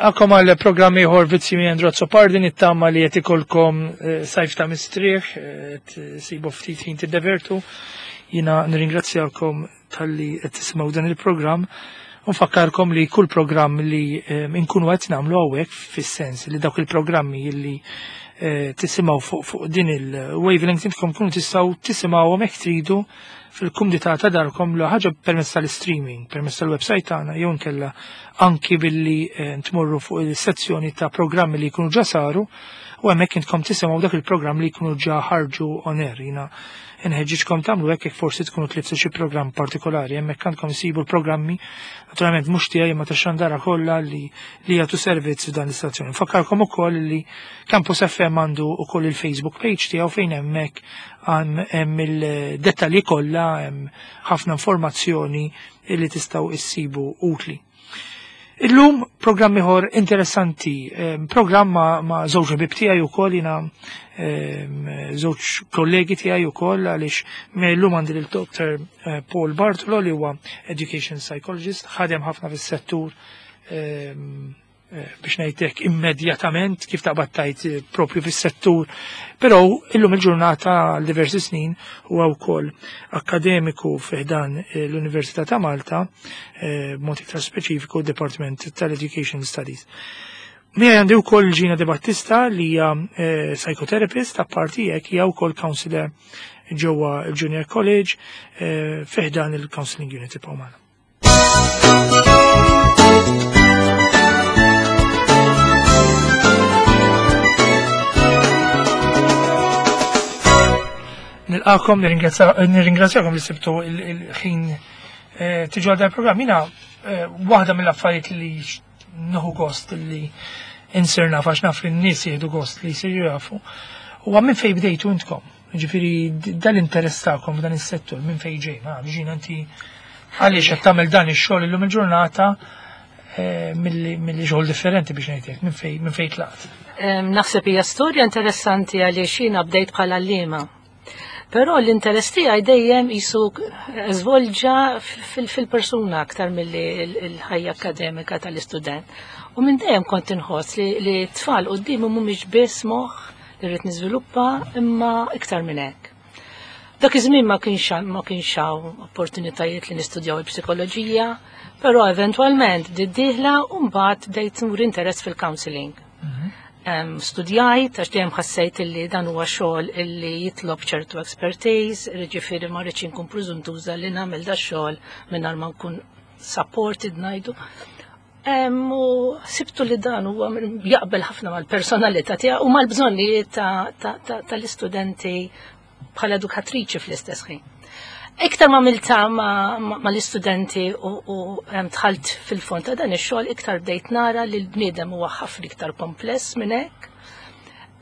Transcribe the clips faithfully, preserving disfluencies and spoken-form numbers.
Nilqakom għal programm ieħor Vizzi minn Andrew Azzopardi, nittama li qed ikolkom eh, sajf ta' mistrieħ, eh, sibu ftit ħin tiddevertu. Jiena nirringrazzjakom talli qed tisimgħu dan il-programm. Nfakkarkom li kull programm li eh, nkunu qed nagħmlu hawnhekk, fis-sens li dawk il-programmi li tisimgħu fuq fuq din il-wavelength intkom kunu tistgħu tisimgħuhom hekk tridu fil-kumdità ta' darkom, l ħaġa permezz tal-streaming, permezz tal-website tagħna jew nkella anki billi eh, tmorru fuq il-sezzjoni ta' programmi li jkunu ġa saru u hemmhekk intkom tisimgħu dak il-programm li jkunu ġa ħarġu on air. Jiena inħeġġiġkom tagħmlu hekk jekk forsi tkunu tliftu xi programm partikolari, hemmhekk għandkom isibu l-programmi, naturalment mhux tiegħi ma tax-xandara kollha li li jagħtu servizz f'dan l-istazzjoni. Nfakkarkom ukoll li Campus F M għandu ukoll il-Facebook page tiegħu fejn hemmhekk hemm il-dettalji kollha, hemm ħafna informazzjoni li tistgħu issibu utli. Illum programm ieħor interessanti, programm ma', ma żewġ ħbieb tiegħi wkoll, jiena żewġ kollegi tiegħi wkoll, għaliex illum għandi lil Doctor eh, Paul Bartolo li huwa education psychologist, ħadem ħafna fis-settur, eh, biex ngħidlek immedjatament kif taqbad tajt eh, propju fis-settur, però illum il-ġurnata għal diversi snin huwa wkoll akademiku fiħdan eh, l-Università ta' Malta, eh, b'mod iktar speċifiku Department tal-Education Studies. Miegħi għandi wkoll Gina De Battista li hija psychotherapist, apparti hekk hija wkoll counselor ġewwa il-Junior College fiħdan il-Counseling Unit Pawmana. Nilqakom, nirringrazzjakom li sibtu il-ħin eh, tiġu għal dan il-programm. Jiena eh, waħda mill-affarijiet li nieħu gost li insir naf, għax naf li n-nies jieħdu gost li jsiru jafu, huwa minn fejn bdejtu intkom. Ġifieri dal-interess tagħkom f'dan is-settur minn fejn ġej, ma ġina inti għaliex qed tagħmel dan ix-xogħol illum il-ġurnata eh, milli xogħol differenti, biex ngħidlek, minn fejn minn fejn tlaqt. Naħseb hija storja interessanti għaliex jiena bdejt bħala għalliema. Però l-interess tiegħi dejjem jisu żvolġa fil-persuna aktar milli l-ħajja akademika tal-istudent. U minn dejjem kont inħoss li t-tfal qudiemi mhumiex biss moħħ li rrid niżviluppa, imma iktar minn hekk. Dak iż-żmien ma kienx ma kienx hawn opportunitajiet li nistudjaw il-psikoloġija, però eventwalment bdiet dieħla u mbagħad bdejt nur interess fil-counseling. Studjajt, għax dejjem ħassejt illi dan huwa xogħol illi jitlob ċertu expertise, jiġifieri ma rridx inkun preżuntuża li nagħmel da xogħol mingħajr ma nkun supported, ngħidu. U sibtu li dan huwa jaqbel ħafna mal-personalità tiegħu u mal-bżonnijiet tal-istudenti bħala edukatriċi fl-istess ħin. Iktar ma milta ma l-istudenti u dħalt fil-fond ta' dan ix-xogħol, iktar bdejt nara li l-bniedem huwa ħafna iktar kompless minn hekk.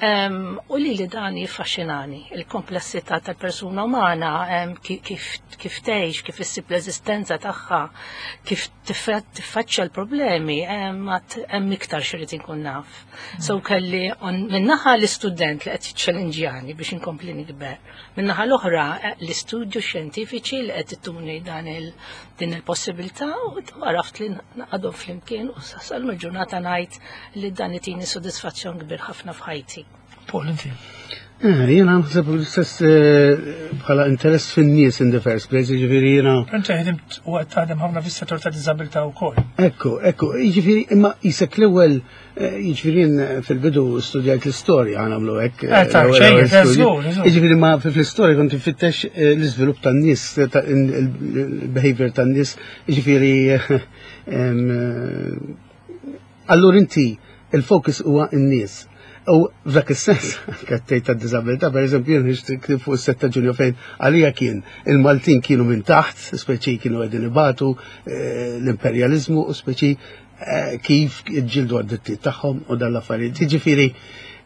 U li li dan jiffaxxinani, il-komplessità tal-persuna umana, kif tgħix, kif issib l-eżistenza tagħha, kif tiffaċċja l-problemi, hemm iktar x'irid inkun naf. So kelli minnaħa l-istudent li qed jiċċellenġjani biex inkompli nikber. Minnaħa l-oħra l-istudju xjentifiċi li qed ittuni dan din il-possibilità, u għaraft li naqadhom flimkien u sal ġurnata ngħid li dan itini sodisfazzjon kbir ħafna f'ħajti. Paul, inti. Eh, jiena naħseb l-istess eh, bħala interess fin-nies in the first place, jiġifieri jiena. Inti ħdimt u qed taħdem ħafna fis-settur ta' diżabilità wkoll. Ekku, ekku, jiġifieri imma jisek l-ewwel, eh, jiġifieri jien fil-bidu studjajt l-istorja, nagħmlu hekk. Jiġifieri ma fl-istorja kont infittex l-iżvilupp tan-nies, il-behavior tan-nies, jiġifieri allura inti il-focus huwa n-nies. U f'dak is-sens, kattejt ta' disabilità, per eżempju, jien ħriġt fuq is-sette Ġunju fejn għalija kien il-Maltin kienu minn taħt, speċi kienu qegħdin ibatu eh, l-imperjalizmu u speċi eh, kif ġildu għad-drittijiet tagħhom u dan l-affarijiet. Jiġifieri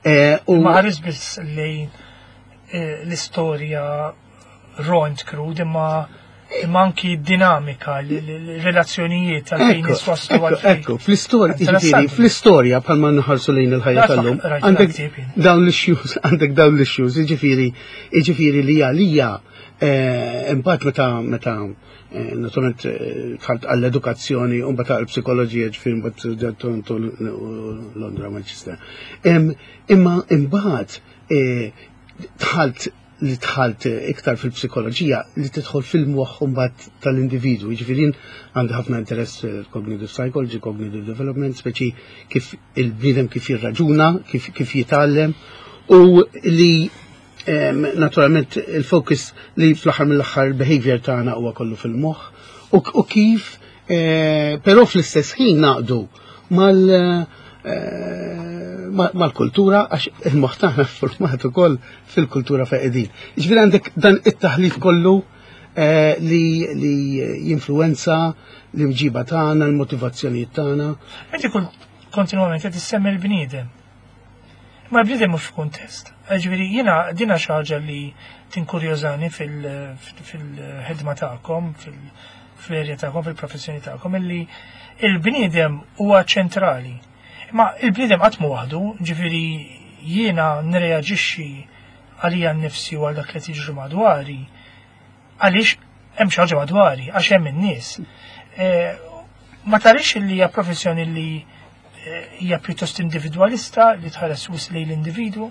eh, u ma ħares biss lejn l-istorja raw and crude, imma imma anki dinamika, l-relazzjonijiet tal-fejn niswaslu. Ekku, fl-istorja, jiġifieri, fl-istorja bħalma nħarsu lejn il-ħajja tal-lum, għandek dawn l-issues, għandek dawn l-issues, jiġifieri, jiġifieri li għalija Eh, imbagħad meta meta eh, naturalment eh, dħalt għall-edukazzjoni u mbagħad għall-psikoloġija, ġifieri mbagħad studjat Toronto, Londra, Manchester. Imma imbagħad dħalt li dħalt iktar fil-psikoloġija li tidħol fil-moħħ mbagħad tal-individwu. Jiġifieri għandi ħafna interess fil-cognitive psychology, cognitive development, speċi kif il-bniedem kif jirraġuna, kif, kif jitgħallem u li naturalment il-focus li fl-aħħar mill-aħħar il-behavior tagħna huwa kollu fil-moħħ u, u kif eh, però fl-istess ħin naqdu mal eh, mal-kultura għax il-moħħ tagħna format ukoll fil-kultura fejn qegħdin. Jiġifieri għandek dan it-taħlit kollu eh, li, li jinfluenza l-imġiba tagħna, l-motivazzjonijiet tagħna. Inti kull kontinwament qed issemmi l-bniedem. Ma l-bniedem mhux f'kuntest. Ġifieri jiena dina xi ħaġa li tinkurjożani fil-ħidma tagħkom, fil-erja tagħkom, fil-professjoni tagħkom, illi il-bniedem huwa ċentrali. Ma il-bniedem qatt mu waħdu, ġifieri jiena nreaġixxi għalija nnifsi u għal dak li tiġri madwari, għaliex hemm xi ħaġa madwari, għax hemm in-nies. Eh, ma tarix li hija professjoni li eh, hija pjuttost individwalista li tħares wisq lejn l-individwu?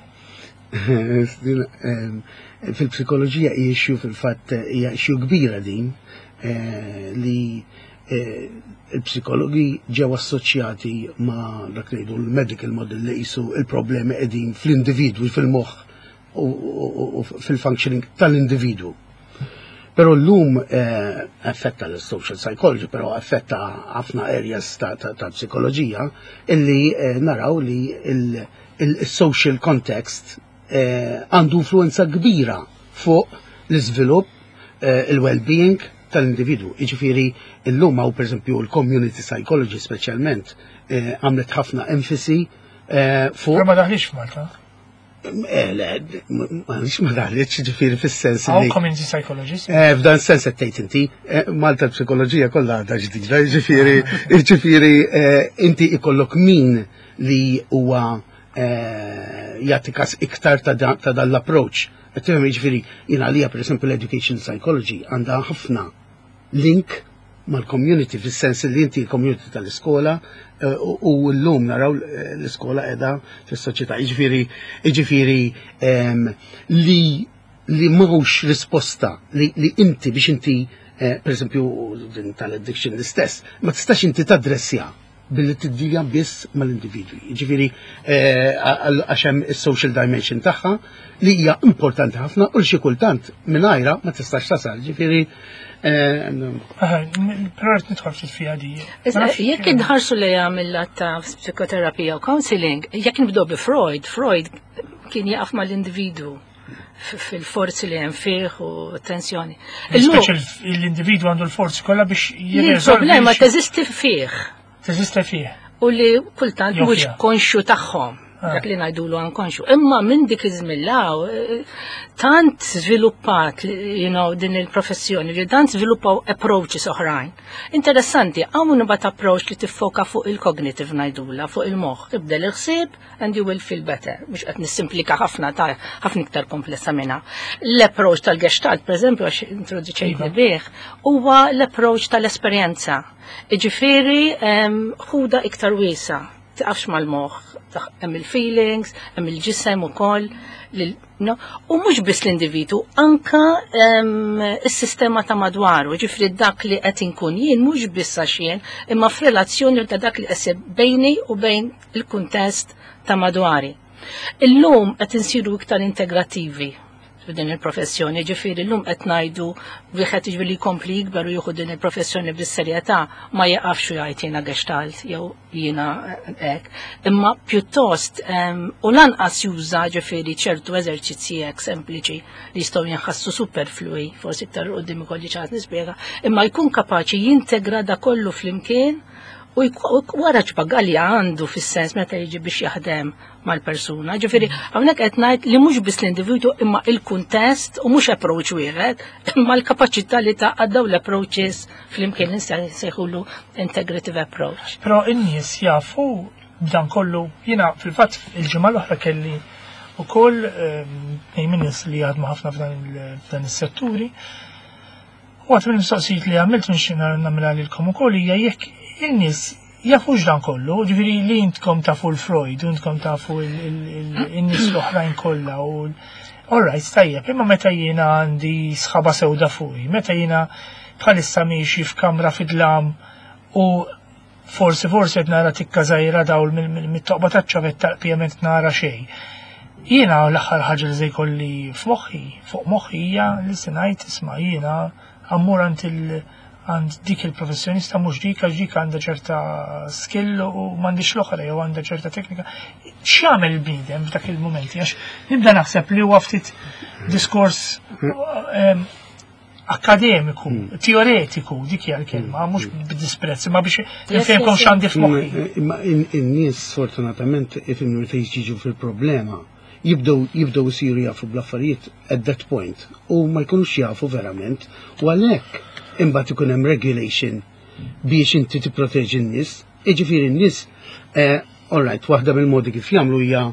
Fil-psikoloġija hija issue, fil-fatt hija issue kbira din eh, li eh, il-psikologi ġew assoċjati ma' dak li jgħidu l-medical model li qisu il-problemi qegħdin fl-individwu, fil-moħħ u u fil-functioning tal-individwu. Però l-lum eh, affetta l-social psychology, però affetta ħafna areas ta', ta, ta psikoloġija illi eh, naraw li il-social context eh, għandu influenza kbira fuq l-iżvilupp, eh, il-well-being tal-individu. Iġifieri l-lum hawn per esempio l-community psychology speċjalment eh, għamlet ħafna enfasi eh, fuq. Però ma daħlix f'Malta. Eh, le, ma ma daħlitx, ġifieri fis-sens Hawn li. community psychologist. Eh, F'dan sens qed tgħid inti, eh, Malta l-psikoloġija kollha għadha ġdida, ġifieri, ġifieri eh, inti ikollok min li huwa eh, jagħti kas iktar ta' da- ta' dan l-approach. Qed tifhem, ġifieri, jiena għalija pereżempju l-education psychology għandha ħafna link mal-community fis-sens li inti l-community tal-iskola eh, u u llum naraw eh, l-iskola qiegħda fis-soċjetà. Jiġifieri jiġifieri em, li li mhux risposta li, li inti biex inti eh, per esempio din tal-addiction l-istess, ma tistax inti tadressja billi tiddilja biss mal-individwi. Ġifieri eh, għal- għax hemm is-social dimension tagħha li hija importanti ħafna u li xi kultant mingħajra ma tistax tasal. Ġifieri eh, Aha, n- Però rrid nidħol ftit fiha di. Issa, Ma nafx- jekk inħarsu lejha mill-lat ta' psikoterapija u counseling, jekk nibdew bi Freud, Freud kien jaqaf mal-individu f- fil-forzi li hemm fih u tensjoni. Illum, Speċi l-individwu għandu l-forzi kollha biex jirriżolvi il-problema xi- teżisti fih teżisti fih. U li kultant Jew mhux fiha. konxju tagħhom. Ah. Dak li ngħidulu ankonxju. Imma minn dik iż-żmien law eh, tant żviluppat you know, din il-professjoni li tant żviluppaw approaches oħrajn. Interessanti, hawn imbagħad approach li tiffoka fuq il-cognitive ngħidula, fuq il-moħħ. Ibdel il-ħsieb and you will feel better. Mhux qed nissimplika ħafna, ta' ħafna iktar komplessa minna. L-approach tal-Gestalt, per eżempju, għax introduċejtni Iva. bih, huwa l-approach tal-esperjenza. Iġifieri, em, ħuda iktar wiesa, tiqafx mal-moħħ, taħ- hemm il-feelings, hemm il-ġisem ukoll, lil- no? U mhux biss l-individu, anka em, is-sistema ta' madwaru, ġifieri dak li qed inkun jien mhux biss għax jien, imma f'relazzjoni ta' dak li qed bejni u bejn il-kuntest ta' madwari. Illum qed insiru iktar integrativi f'din il-professjoni, ġifieri llum qed ngħidu wieħed ġifieri jkompli jikber u jieħu din il-professjoni bis-serjetà ma jaqafx u jgħid jiena Gestalt jew jiena hekk, imma pjuttost em, u lanqas juża ġifieri ċertu eżerċizzji hekk sempliċi li jistgħu jinħassu superflui, forsi iktar quddiem ikolli ċans nispjega, imma jkun kapaċi jintegra da kollu flimkien u jku- u wara ċbagalja għandu fis-sens meta jiġi biex jaħdem mal-persuna. Ġifieri, hawnhekk qed ngħid li mhux biss l-individu imma il-kuntest u mhux approach wieħed, imma l-kapaċità li taqgħad dawn l-approaches flimkien li nsejħulu integrative approach. Però in-nies jafu b'dan kollu. Jiena fil-fatt il-ġimgħa l-oħra kelli Ukoll tnejn minn nies li jaħdmu ħafna f'dan is-setturi. U waħda mill-mistoqsijiet li għamilt nixtieq nagħmilha lilkom ukoll hija jekk in-nies jafux dan kollu, ġifieri li intkom tafu l-Freud, u intkom tafu il-nies l-oħrajn kollha u all right, tajjeb, imma meta jiena għandi sħaba sewda fuqi, meta jiena bħalissa miexi f'kamra fid-dlam u forsi forsi qed nara tikka żgħira dawl mit-toqba taċ-ċavetta, pjament nara xejn. Jiena l-aħħar ħaġa li se jkolli f'moħħi, fuq moħħi, hija li se ngħid, "Isma', jiena mmur għand il għand dik il-professjonista, mhux dik, għax dik għandha ċerta skill u m'għandix l-oħra jew għandha ċerta teknika." X'jagħmel il-bniedem f'dak il-mumenti? Għax nibda naħseb li huwa ftit diskors em, akademiku, teoretiku, dik hija l-kelma, mhux b'disprezz, ma biex nifhemkom yes, x'għandi f'moħħi. Imma in- in-nies sfortunatament ifhimni, meta jiġu fil-problema jibdew jibdew isiru jafu bl-affarijiet at that point u ma jkunux jafu verament, u għalhekk imbagħad ikun hemm regulation biex inti tipproteġi n-nies. Jiġifieri n-nies, eh, all right, waħda mill-modi kif jagħmlu hija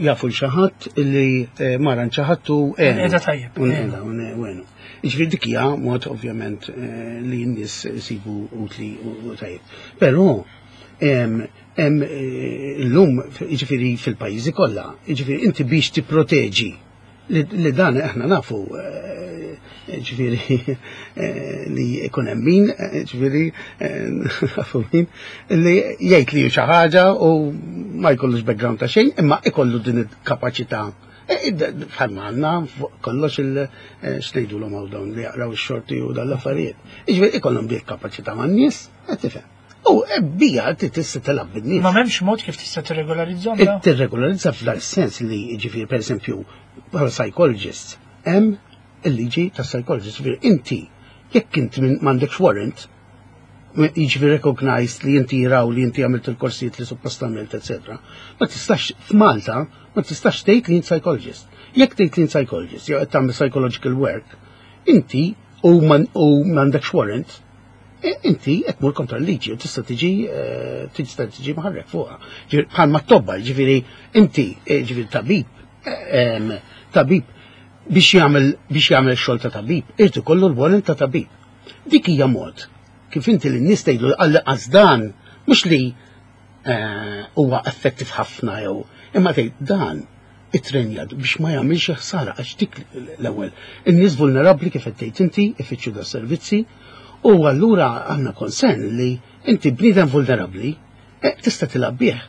jafu l xi ħadd li eh, mar għand xi ħadd u għenu. Qiegħda tajjeb. U nqeda, u ne- u għenu. Jiġifieri dik hija mod ovvjament eh, li n-nies isibu utli u u tajjeb. Però em, em, eh, illum jiġifieri fil-pajjiżi kollha, jiġifieri inti biex tipproteġi li, li dan aħna nafu eh, ġifieri eh, li ikun hemm min, eh, ġifieri eh, nafu min li jgħid li xi ħaġa u ma jkollux background ta' xejn, imma ikollu din il-kapaċità. Eh, id- Bħalma għandna fuq kollox il eh, x'ngħidulhom hawn dawn li jaqraw ix-xorti u dan l-affarijiet. Jiġifieri ikollhom dik kapaċità man-nies, qed tifhem. U eh, bija tista' tilgħab bin-nies. Ma m'hemmx mod kif tista' tirregolarizzahom da? Tirregolarizza f'dan sens li ġifieri, per eżempju, bħala psychologists, hemm il-liġi ta' psychologist, ġifieri inti jekk inti minn m'għandekx warrant, jiġifieri recognized li inti jiraw li inti għamilt il-korsijiet li suppost għamilt, et cetera. Ma tistax f'Malta, ma tistax tgħid li int psychologist. Jekk tgħid li int psychologist, jew qed tagħmel psychological work, inti u man- u m'għandekx warrant, e- inti qed tmur kontra l-liġi u tista' tiġi eh, tista' tiġi mħarrek fuqha. Ġifieri bħalma t-tobba, ġifieri inti eh, ġifieri tabib eh, em, tabib biex jagħmel biex jagħmel xogħol ta' tabib, irid ikollu l-warrant ta' tabib. Dik hija mod kif inti lin-nies tgħidlu għal dan mhux li eh, huwa effettiv ħafna jew imma tgħid dan ittrenjat biex ma jagħmilx ħsara, għax dik l-ewwel. In-nies vulnerabbli, kif qed tgħid inti, ifittxu da servizzi u allura għandna concern li inti bniedem vulnerabbli eh, tista' tilgħab bih.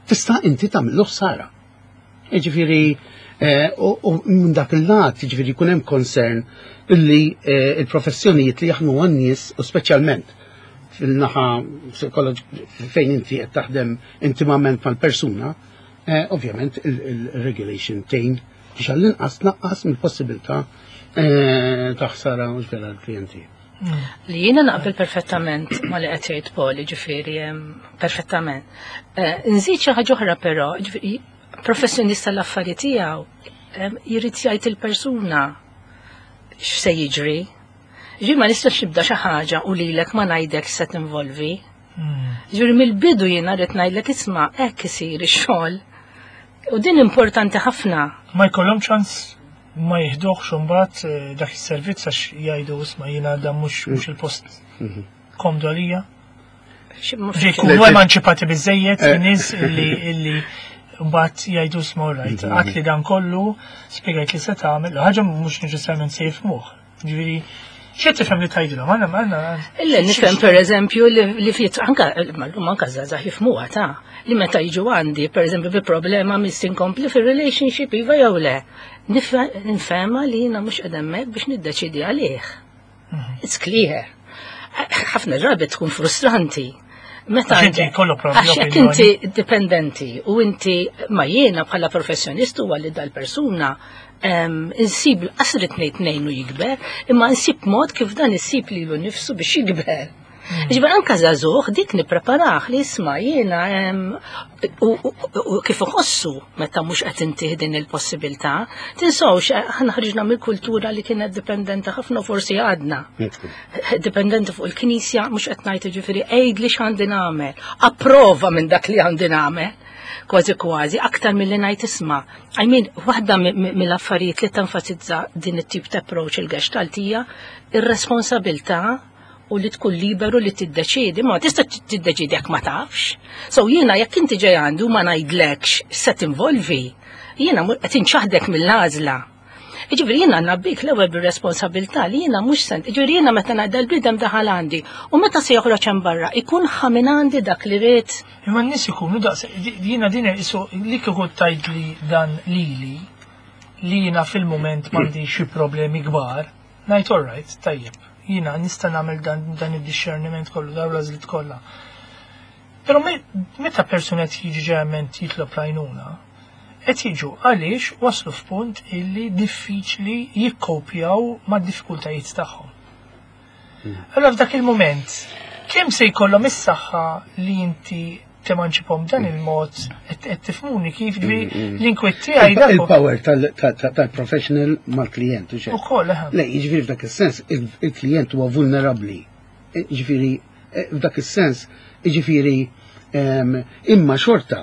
Tista' inti tagħmillu ħsara. Jiġifieri eh, u u minn dak il-lat, jiġifieri jkun hemm concern illi eh, il-professjonijiet li jaħdmu għan-nies u speċjalment fil-naħa psikoloġ- fejn inti qed taħdem intimament mal-persuna, eh, ovvjament il-regulation tgħin biex għall-inqas tnaqqas mill-possibilità eh, ta' ħsara mhux vera l-klijenti. Li jiena naqbel perfettament ma li qed jgħid Paul, ġifieri em, perfettament. Eh, Nżid xi ħaġa oħra però, ġifieri professjonista l-affarijiet tiegħu em, jrid jgħid il-persuna x'se jiġri. Ġifieri ma nistax nibda xi ħaġa u lilek ma ngħidlek se tinvolvi. Ġifieri mill-bidu jiena rrid ngħidlek, "Isma', hekk isir ix-xogħol." U din importanti ħafna. Ma jkollhom ċans ma jiħduhx imbagħad eh, dak is-servizz għax jgħidu, "Isma', jiena dan mhux mhux il-post komdu għalija"? Xi- ma- Ġej jkunu emanċipati biżejjed in-nies illi illi mbagħad jgħidu, "Isma', right, għat li dan kollu, spjegajt li se tagħmel," ħaġa mhux neċessarjament se jifhmuh. Ġifieri xi tifhem li tgħidilhom? Għandna għandna Illa nifhem, per eżempju, li, li fit anka mallum anka żgħażagħ jifhmuha ta' li meta jiġu għandi, per eżempju, bi problema mis inkompli fir-relationship iva jew le. Nifhemha li jiena mhux qed hemmhekk biex niddeċidi għalih. It's clear. Ħafna drabi tkun frustranti. Meta Għax inti jkollok propju Għax jekk opinjoni. inti dipendenti u inti ma jiena bħala professjonist huwa li dal-persuna em, insib qasrit ngħid ngħinu jikber, imma insib mod kif dan isib lilu nifsu biex jikber. Ġifieri anka żagħżugħ dik nippreparah li isma' jiena em, u, u, u kif iħossu meta mhux qed intih din il-possibilità. Tinsewx aħna ħriġna mill-kultura li kienet dipendenti ħafna, forsi għadna dipendenti fuq il-Knisja, mhux qed ngħid, ġifieri għid li x'għandi nagħmel, approva minn dak li għandi nagħmel, kważi kważi, aktar milli ngħid isma'. I mean, waħda mi- mi- mill-affarijiet li tenfasizza din it-tip ta' approach il-Gestalt hija ir-responsabilità u li tkun liberu li tiddeċiedi, ma tista' tiddeċiedi jekk ma tafx. So jiena jekk inti ġej għandu ma ngħidlekx se tinvolvi, jiena mu- qed inċaħdek mill-għażla. Ġifieri jiena nabbik l-ewwel bir-responsabilità li jiena mhux sent. Ġifieri jiena meta ngħidha l-bniedem daħal għandi u meta se joħroġ hemm barra ikun ħa minn għandi dak li ried. Imma n-nies ikunu daqs, jiena din isu li kieku tgħid li dan lili li jiena fil-moment m'għandi xi problemi kbar, ngħid all right, tajjeb, jiena nista' nagħmel dan, dan id-discerniment kollu, dawn l-għażliet kollha. Però me- meta persuna qed jiġi ġeneralment jitlob l-għajnuna, qed jiġu għaliex waslu f'punt illi diffiċli jikkopjaw mad-diffikultajiet tagħhom. Allora f'dak il-moment, kemm se jkollhom is-saħħa li inti temanċipom dan il-mod, qed tifhmuni kif ġi l-inkwiet tiegħi dak Il-power tal-professional mal-klient. u xejn. Ukoll eħe. Le, jiġifieri f'dak is-sens il-klient huwa vulnerabbli. Jiġifieri eh, f'dak is-sens, jiġifieri em, imma xorta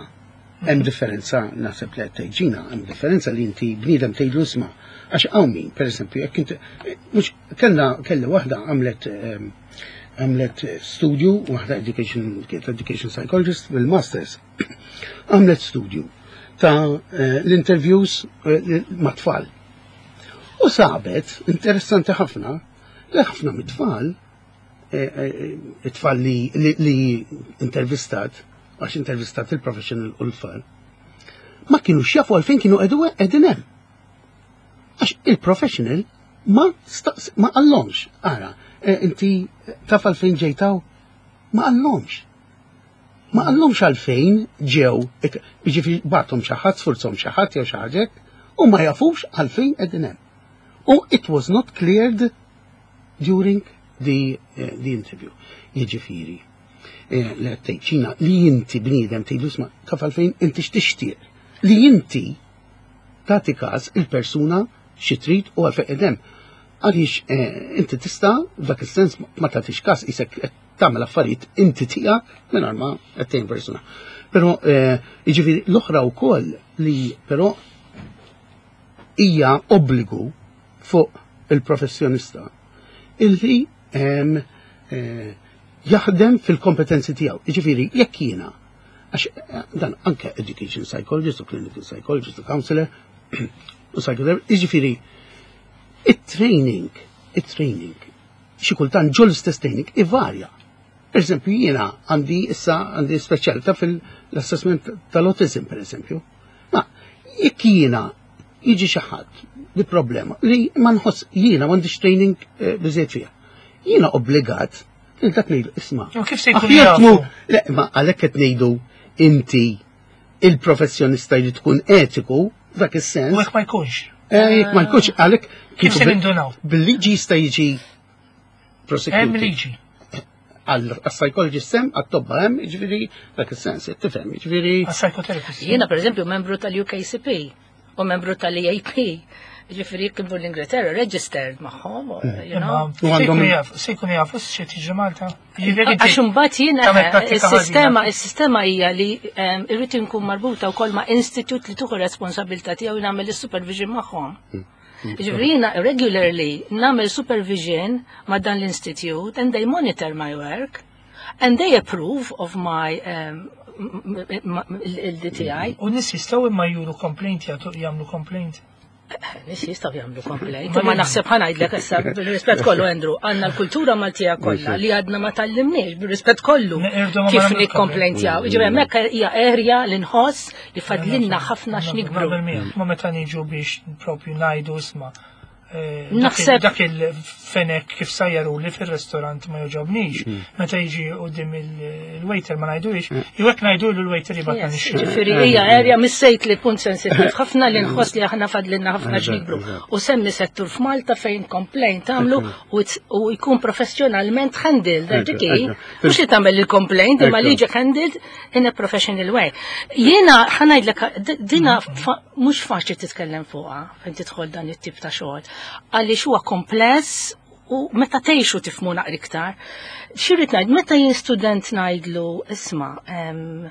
hemm differenza, naħseb li qed tgħid Ġina, hemm differenza li inti bniedem tgħidlu isma'. Għax hawn min, pereżempju, jekk inti mhux kellna kelli waħda għamlet em, għamlet studju, waħda education, education psychologist bil-masters, għamlet studju ta' eh, l-interviews eh, ma' tfal. U sabet, interessanti ħafna, li ħafna mit-tfal, eh, eh, it-tfal li, li, li intervistat, għax intervistat il-professional u l-tfal, ma kienu jafu għalfejn kienu qegħdu qegħdin hemm. Għax il-professional ma staqs, ma qallhomx, ara, eh, inti taf għalfejn ġejt hawn? Ma qallhomx. Ma qallhomx għalfejn ġew, jiġifieri bagħathom xi ħadd, sfurzhom xi ħadd jew xi ħaġa hekk, u ma jafux għalfejn qegħdin hemm. U it was not cleared during the, uh, the interview. Jiġifieri, eh, li qed tgħid Ġina li inti bniedem tgħidlu isma' taf għalfejn inti x'tixtieq. Li inti tagħti każ il-persuna xi trid u għalfejn qegħdem. Għaliex eh, inti tista' f'dak is-sens ma tagħtix każ isek qed tagħmel affarijiet inti tiegħek mingħajr ma qed tgħin persuna. Però eh, jiġifieri l-oħra wkoll li però hija obbligu fuq il-professjonista illi em, eh, jaħdem fil-kompetenzi tiegħu. Jiġifieri jekk jiena għax eh, dan anke education psychologist u clinical psychologist u counselor u psychotherapist, jiġifieri it-training, it-training, xi kultant ġol istess training ivarja. Per eżempju, jiena għandi issa għandi speċjalità fil-assessment tal-autism, per eżempju. Ma jekk jiena jiġi xi ħadd bi problema li ma nħoss jiena m'għandix training eh, biżejjed fiha. Jiena obbligat li dak ngħidu isma'. U kif se jkunu Aħjar jafu? tmur- Le, ma għalhekk qed ngħidu inti il-professjonista li tkun etiku f'dak is-sens. U jekk ma jkunx. Eh, jekk ma jkunx għalhekk Kif se nindunaw? Bil-liġi jista' jiġi Hemm prosecuted. liġi. Għal-psychologist hemm, għat-tobba hemm, jiġifieri dak is-sens, tifhem, jiġifieri. Għas-psychotherapist. Jiena per eżempju membru tal-U K C P u membru tal-E A P. Ġifieri jekk imur l-Ingilterra registered magħhom, you Imma know. U se għandhom- jkunu jafu, se jkunu jafu x'qed jiġri Malta. Jiġifieri Għax imbagħad jiena tagħmel prattika is-sistema ħażina. is-sistema hija li em, irrid inkun marbuta wkoll ma' institute li tieħu responsabilità tiegħu nagħmel is-supervision magħhom. Ġifieri jiena regularly nagħmel supervision ma' dan l-institute and they monitor my work and they approve of my um, il-D T I. U nies jistgħu imma juru complaint, jagħtu jagħmlu complaint. Nies jistgħu jagħmlu complaint, Ma ma li- naħseb ħa ngħidlek issa bir-rispett kollu, Andrew, għandna l-kultura Maltija kollha li għadna ma tgħallimniex bir-rispett kollu Neqirdu ma kif nagħmlu nikkomplentjaw. Ġifieri hemmhekk hija area li nħoss li fadlilna ħafna x'nikbru. Naqbel miegħek. Ma meta niġu biex propju ngħidu isma' eh, dak il- Naħseb- dak il-fenek kif sajjaru li fil-restorant ma joġobnix, meta jiġi quddiem il-waiter ma ngħidux, jew hekk ngħidu l-waiter jibgħatna Yes, nixtru. Ġifieri hija area missejt li punt sensittiv ħafna li nħoss li aħna fadlinna ħafna x'nikbru. U semmi settur f'Malta fejn complaint tagħmlu u it's- u jkun professjonalment handled, Ekku, dik ekku. Mhux li tagħmel il-complaint imma li Ekku. ġek handled in a professional way. Jiena ħa ngħidlek d- dina fa- mhux faċli titkellem fuqha fejn tidħol dan it-tip ta' xogħol. Għaliex huwa kompless u meta tgħixu tifhmu naqra iktar. Xi rrid ngħid, meta jien student ngħidlu isma' em,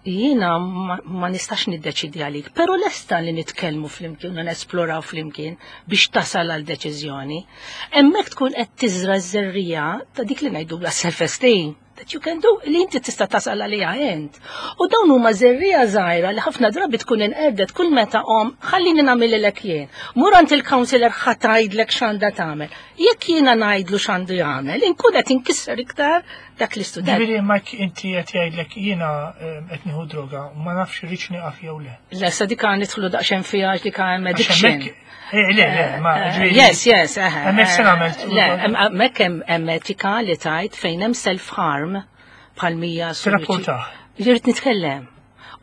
jiena ma, ma nistax niddeċidi għalik, pero lesta li nitkellmu flimkien u nesploraw flimkien biex tasal għal deċiżjoni. Hemmhekk tkun qed tiżra ż-żerrija ta' dik li ngħidu la self-esteem that you can do li inti tista' tasal għaliha int. U dawn huma żerrija żgħira li ħafna drabi tkun inqerdet kull meta om ħallini nagħmilek jien. Mur għand il-counselor ħa tgħidlek x'għandha tagħmel. Jekk jiena ngħidlu x'għandu jagħmel, inkun qed inkisser iktar dak l-istudent. Ġifieri ma inti qed jgħidlek jiena eh, qed nieħu droga, ma nafx irridx nieqaf jew le. Le, sa dik għan nidħlu daqsxejn fiha għax dik hemm Għax addiction. hemmhekk- Eh, Le, le, ma Eh, ġifieri- Yes, yes, eħe. Hemmhekk se nagħmel. Le, hemm- hemmhekk hemm hemm etika li tajt fejn hemm self-harm bħal mija Tirrapportah. Irrid nitkellem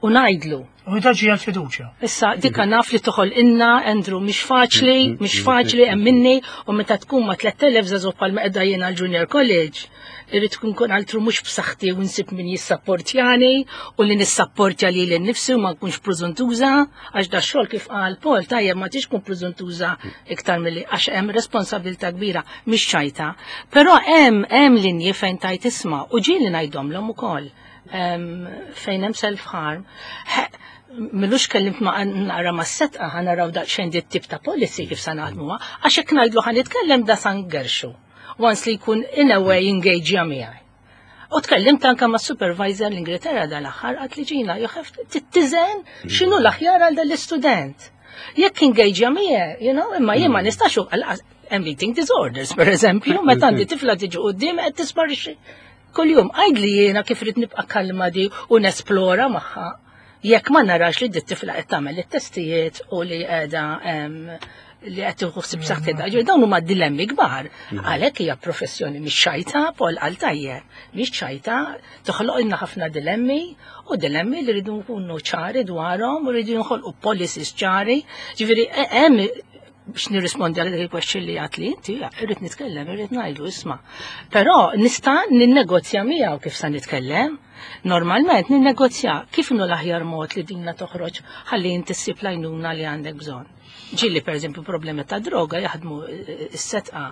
u ngħidlu. U daġi għal-fiduċja. Issa, dikka naf li toħol inna, Andrew, mhix faċli, mhix faċli, hemm minni, u meta tkun ma' tlett elef żagħżugħ bħal qiegħda jiena l-Junior College, irrid tkun kun altru mhux b'saħħti u nsib min jissapportjani u li nissapportja li lili nnifsi u ma nkunx preżuntuża, għax da xogħol kif qal Paul, tajjeb ma tix tkun preżuntuża iktar milli għax hemm responsabilità kbira, mhix ċajta. Però hemm hemm linji fejn tajt isma' u ġieli ngħidhomlhom ukoll em, fejn hemm self-harm. M'ilux kellimt ma naqra ma setqa ħa naraw daqsxejn dit tip ta' policy kif sa naħdmuha, għax hekk ngħidlu ħa nitkellem da san gerxu. Once li jkun in a way engage miegħi. U tkellimt anka ma' supervisor l-Ingilterra dal-aħħar għat li ġina, you have to tittiżen x'inhu l-aħjar għal dal-istudent. Jekk engage miegħi, you know, imma jien ma nistax u- għal- hemm eating disorders, per eżempju, meta għandi tifla tiġi quddiem qed tisparixxi kuljum. Għajd li jiena kif rrid nibqa' kalma di u nesplora magħha. Jekk ma narax li dit tifla qed tagħmel it-testijiet u li qiegħda em, li qed tieħu ħsieb saħħitha. Ġifieri dawn huma dilemmi kbar. Għalhekk hija professjoni mhix ċajta, Paul qal tajjeb, mhix ċajta, toħloq ħafna dilemmi u dilemmi li rridu nkunu ċari dwarhom u rridu nħolqu policies ċari. Ġifieri e- hemm biex nirrispondi għal dik il-question li għat li inti, irrid nitkellem, irrid ngħidu isma'. Però nista' ninnegozja miegħu kif sa nitkellem. Normalment ninnegozja kif inhu l-aħjar mod li dinna toħroġ ħalli inti ssib l-għajnuna li għandek bżonn. Ġieli per eżempju problemi ta' droga jaħdmu eh, s-setqa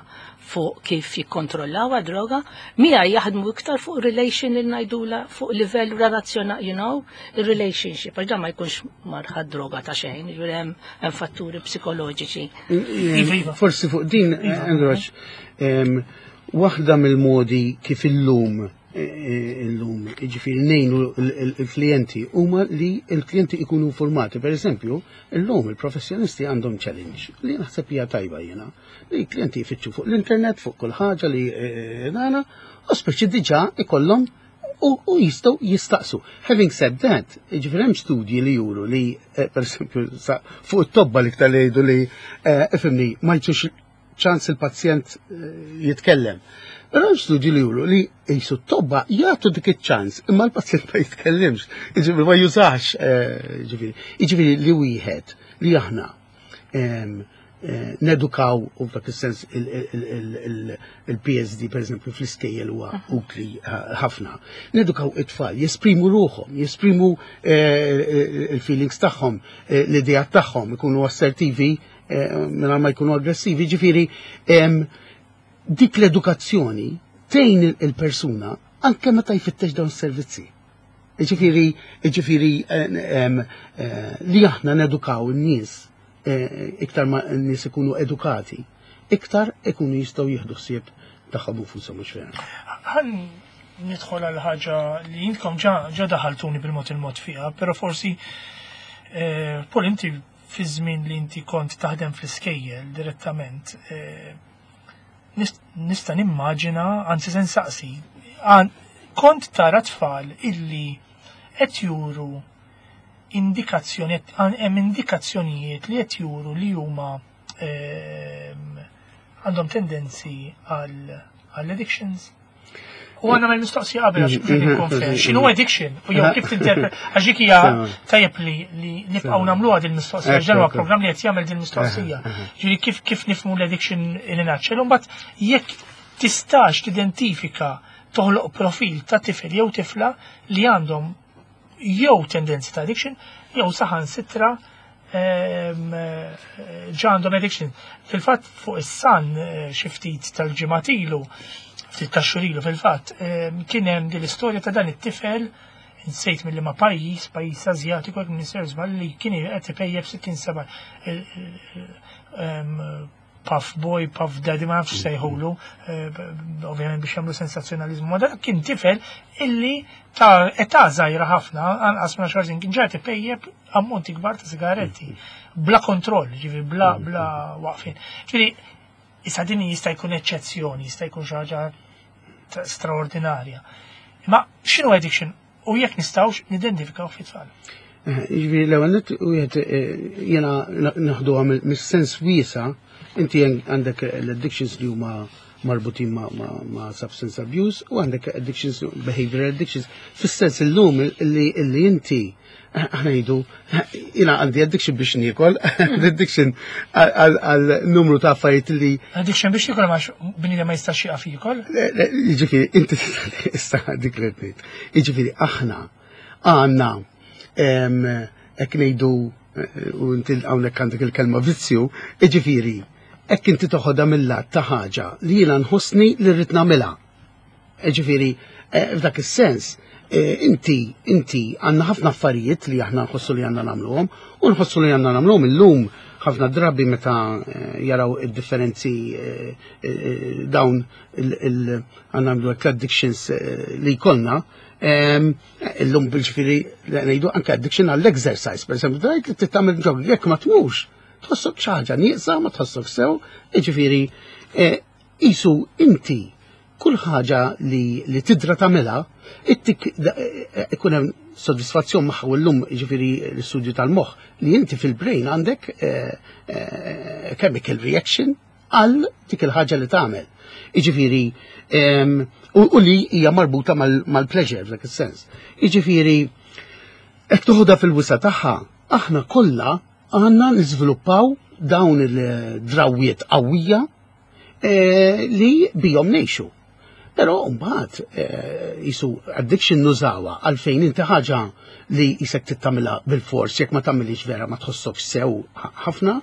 fuq kif jikkontrollaw droga, mija jaħdmu iktar fuq relation li ngħidula fuq livell relazzjona, you know, il-relationship, għax dan ma jkunx marħad droga ta' xejn, ġifieri hemm hemm fatturi psikoloġiċi. Iva, iva. Forsi fuq din, Andrew, għax, em, waħda mill-modi kif illum eh, eh, illum, ġifieri ngħinu il-klienti huma li il-klienti ikunu informati. Per eżempju, illum il-professjonisti għandhom challenge li naħseb hija tajba jiena. Li l-klienti jfittxu fuq l-internet, fuq kull ħaġa li eh, dana, u speċi diġà ikollhom u, u jistgħu jistaqsu. Having said that, ġifieri hemm studji li juru li, eh, per eżempju, sa- fuq it-tobba li iktar li jgħidu li, eh, ifhimni, ma jtux ċans il-pazjent eh, jitkellem. Però hemm studji li juru li jisu t-tobba jagħtu dik iċ-ċans, imma l-pazjent ma jitkellimx, jiġifieri ma jużax, eh, ġifieri. Jiġifieri li wieħed li aħna em, eh, nedukaw u f'dak is-sens il-P S D per eżempju fl-iskejjel huwa utli eh, ħafna. Nedukaw it-tfal, jesprimu ruħhom, jesprimu eh, il-feelings tagħhom, eh, l-idea tagħhom, ikunu assertivi eh, mingħajr ma jkunu aggressivi, ġifieri em, dik l-edukazzjoni tgħin il-persuna anke meta jfittex dawn is-servizzi. Ġifieri, ġifieri eh, em, eh, li aħna nedukaw in-nies eh, iktar ma n-nies ikunu edukati, iktar ikunu jistgħu jieħdu ħsieb tagħhom infushom mhux vera. Ħan nidħol għal ħaġa li intkom ġa ġa daħaltuni bil-mod il-mod fiha, però forsi eh, Paul inti fi żmien li inti kont taħdem fl-iskejjel direttament, eh, nis- nista' nimmaġina, anzi se nsaqsi, għan- kont tara tfal illi qed juru indikazzjoni, hemm indikazzjonijiet li qed juru li huma ehm, għandhom tendenzi għal addictions? U għandna mal mistoqsija qabel għax mhux ikun fair. X'inhu addiction? U jew kif tinterpret għax dik hija tajjeb li li nibqgħu nagħmluha din mistoqsija għax dan huwa programm li qed jagħmel din mistoqsija. Ġifieri kif kif nifhmu l-addiction in a nutshell. U mbagħad jekk tistax tidentifika, toħloq profil ta' tifel jew tifla li għandhom jew tendenzi ta' addiction jew saħansitra ehm, ġa għandhom addiction. Fil-fatt fuq is-Sun eh, xi ftit tal-ġimgħat ilu, ftit ta' xhur ilu fil-fatt, ehm, kien hemm din l-istorja ta' dan it-tifel, insejt mill ma pajjiż, pajjiż Azjatiku, jekk m'iniex żball, li kien qed ipejjep sittin seba' ehm, Puff Boy, Puff Daddy, ma nafx sejħulu, eh, ovvjament biex jagħmlu sensazzjonalizmu. Ma dak kien tifel illi ta' età żgħira ħafna, anqas minn għaxar snin, kien ġa ipejjep ammonti kbar ta' sigaretti, bla kontroll, ġifieri bla bla waqfin. Ġifieri issa din jista' jkun eċċezzjoni, jista' jkun xi ħaġa ta' straordinarja. Ma x'inhu addiction u jekk nistgħux nidentifikaw fit-tfal? Ġifieri l-ewwel nett wieħed eh, jiena naħduha mis-sens wiesa', inti għandek l-addictions li huma marbutin ma, ma, ma substance abuse u għandek addictions, behavioral addictions. Fis-sens illum li, li inti aħna ngħidu jiena għandi addiction biex niekol, addiction għal numru ta' affarijiet li Addiction biex jiekol għax bniedem ma jistax jieqaf jiekol? Jiġifieri, inti issa dik li tgħid. Jiġifieri aħna għandna hekk ngħidu u inti hawnhekk għandek il-kelma vizzju, jiġifieri hekk inti toħodha mill-lat ta' ħaġa li jiena nħossni li rrid nagħmilha. Jiġifieri f'dak is-sens inti inti għandna ħafna affarijiet li aħna nħossu li għandna nagħmluhom u nħossu li għandna nagħmluhom illum ħafna drabi meta jaraw id-differenzi dawn għandna nagħmlu addictions li jkollna. Illum bil-ġifieri ngħidu anke addiction għall-exercise, per esempio, dajt li tagħmel jog, jekk ma tmux, tħossok xi ħaġa nieqsa, ma tħossok sew, jiġifieri isu inti kull ħaġa li, li tidra tagħmilha, ittik ikun hemm soddisfazzjon magħha. U llum jiġifieri l-istudju tal-moħħ li inti fil-brain għandek chemical reaction għal dik il-ħaġa li tagħmel. Jiġifieri u li hija marbuta mal-pleasure f'dak is-sens. Jiġifieri hekk toħodha fil-wisa tagħha, aħna kollha għandna niżviluppaw dawn il-drawwiet qawwija li bihom ngħixu. Però mbagħad jisu addiction nużawha għalfejn inti ħaġa li jisek tittamilha bil-fors, jekk ma tagħmilix vera ma tħossokx sew ħafna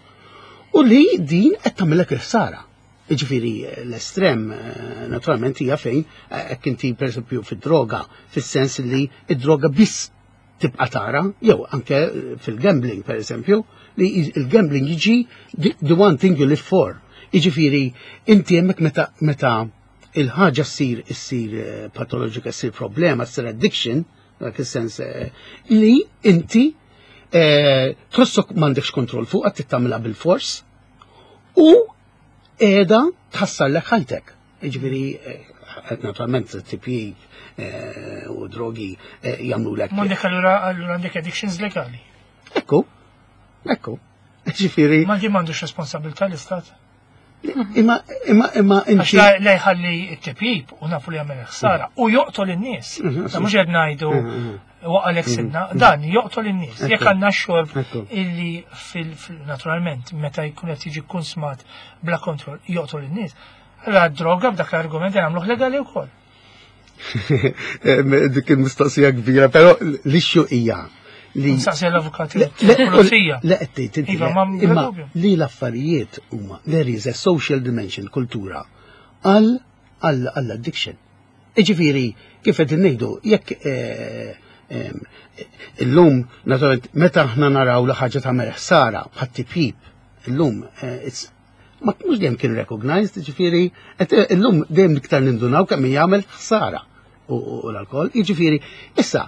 u li din qed tagħmilek il-ħsara. Jiġifieri l-estrem naturalment hija fejn hekk inti pereżempju fid-droga, fis-sens li id-droga biss tibqa' tara, jew anke fil-gambling pereżempju, li il-gambling jiġi the one thing you live for. Jiġifieri inti hemmhekk meta meta il-ħaġa ssir issir patoloġika, ssir problema, ssir addiction, dak is-sens li inti tħossok m'għandekx kontroll fuq, qed tagħmilha bil-fors u qiegħda tħassarlek ħajtek. Jiġifieri naturalment tipjip u drogi jagħmlulek. M'għandek allura allura għandek addictions legali. Ekku, ekku. Ġifieri. Ma di m'għandux responsabilità l-istat. Imma imma imma Għax la jħalli t-tipjip u nafu li jagħmel ħsara u joqtol in-nies. Ta' mhux qed ngħidu waqalek sidna, dan joqtol in-nies. Jekk għandna xorb illi fil naturalment meta jkun qed jiġi konsmat bla kontroll joqtol in-nies. Allura droga b'dak l-argument nagħmluh legali wkoll. Dik il-mistoqsija kbira, però l-issue hija li. Nsaqsi l-avukati pulizija. Le, qed tgħid Iva, ma imma li l-affarijiet huma there is a social dimension, kultura għal għall addiction. Iġifieri kif qed ngħidu jekk illum naturalment meta aħna naraw li ħaġa tagħmel ħsara bħat tipjip illum ma mhux dejjem kien recognized, ġifieri illum dejjem iktar nindunaw kemm jagħmel ħsara u l-alkohol. Jiġifieri issa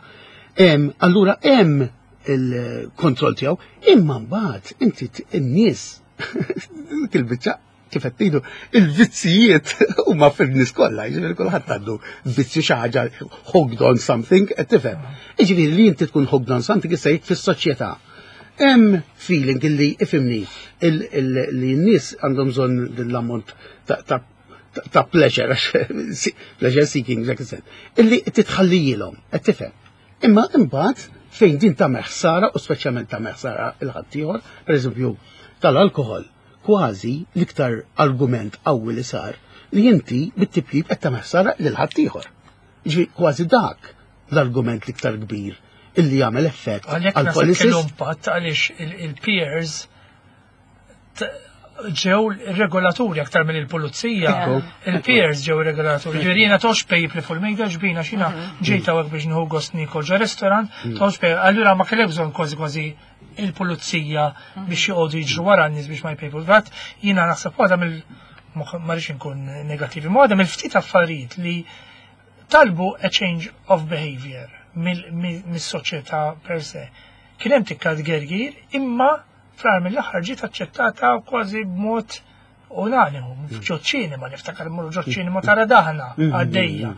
allura hemm il-kontroll tiegħu, imma mbagħad inti n-nies dik il-biċċa kif qed tgħidu il-vizzijiet huma fil-nies kollha, jiġifieri kulħadd għandu vizzju, xi ħaġa hooked on something, qed tifhem. Jiġifieri li inti tkun hooked on something issa jekk fis-soċjetà Hemm feeling illi ifhimni il- il- li n-nies għandhom bżonn din l-ammont ta' ta' ta' pleasure, għax pleasure seeking, dak is illi titħallijilhom, qed tifhem. Imma imbagħad fejn din ta' ħsara u speċjalment ta' ħsara lil ħaddieħor, pereżempju tal-alkohol, kważi l-iktar argument qawwi li sar li inti bit-tipjib qed tagħmel ħsara lil ħaddieħor. Ġifieri kważi dak l-argument l-iktar kbir illi jagħmel effett Għalhekk għal naħseb policies. kellu impatt għaliex il- il-peers t- ġew regolaturi aktar mill il-pulizija. Ekku. Il-peers ġew regolaturi. Ġifieri jiena tox pejjip li fuq il-mejda ġbina xina ġejta hawnhekk biex nieħu gost nikol ġo restaurant, tox pejjip. Allura ma kellek bżonn kważi kważi il-pulizija biex joqogħdu jiġru wara n-nies biex ma jpejpu. Vat jiena naħseb waħda mill ma rridx inkun negattivi, ma waħda mill-ftit affarijiet li talbu a change of behavior mill-soċjetà per se. Kien hemm tikka tgergir, imma fl mill-aħħar ġiet aċċettata kważi b'mod unanimu, ġo ċinema, niftakar mmorru ġo ċinema tara daħna għaddejja.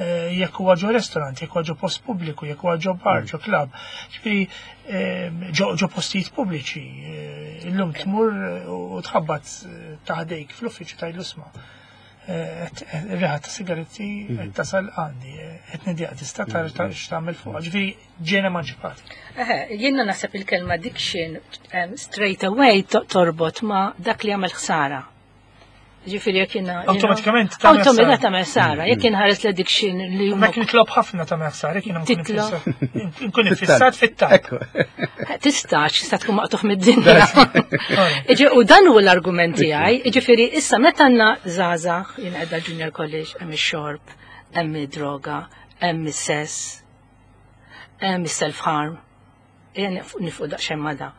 Eh, Jekk huwa ġo restaurant, jekk huwa ġo post pubbliku, jekk huwa ġo bar, ġo club, ġifieri eh, ġo ġo postijiet pubbliċi. Eh, Illum tmur u tħabbat taħdejk fl-uffiċċju tgħidlu isma'. Ir-riħa ta' sigaretti qed tasal għandi, qed nidjaq tista' tara x'tagħmel fuqha. Ġifieri ġiena emanċipati. Eħe, jiena naħseb il-kelma addiction um, straight away to- torbot ma dak li għamel ħsara. Ġifieri jekk jiena. Awtomatikament tagħmel ħsara. Awtomatikament tagħmel ħsara. Jekk inħares l-addiction li huma Ma kien nitlob ħafna ta' ħsara, jien Titlob. nkun iffissat fit-talb. Ekku. Tistax, tista' tkun maqtugħ mid-dinja. Iġi, u dan huwa l-argument tiegħi, jiġifieri issa meta għandna żgħażagħ jien qiegħda junior college hemm ix-xorb, hemm id-droga, hemm is-sess, hemm is-self harm. Ejja nieqfu daqsxejn ma' da.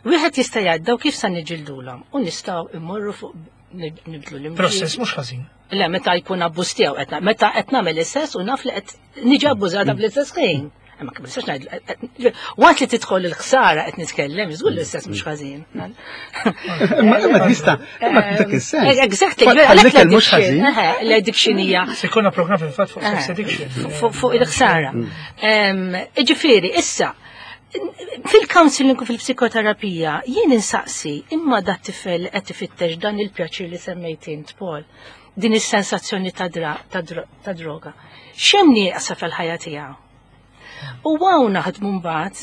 Wieħed jista' jgħid daw kif sa niġġildulhom u nistgħu immorru fuq nibdlu l Process mhux ħażin. Le, meta jkun abbuż tiegħu qed meta qed nagħmel istess u naf li qed niġi abbużata bl-istess ħin. Imma kif nistax ngħid waqt li tidħol il-ħsara qed nitkellem, żgur l-istess mhux ħażin. Imma imma tista' imma dak is-sens. Exactly, Bħal mhux ħażin. L-addiction hija Se jkollna programm fil-fatt fuq sex addiction. fuq il-ħsara. Ġifieri, issa, fil-counseling u fil-psikoterapija jien insaqsi imma dat tifel qed ifittex dan il-pjaċir li semmejt int Paul, din is-sensazzjoni ta' dra- ta' dro- ta' droga. X'hemm nieqsa fil-ħajja tiegħu? U hawn naħdmu mbagħad.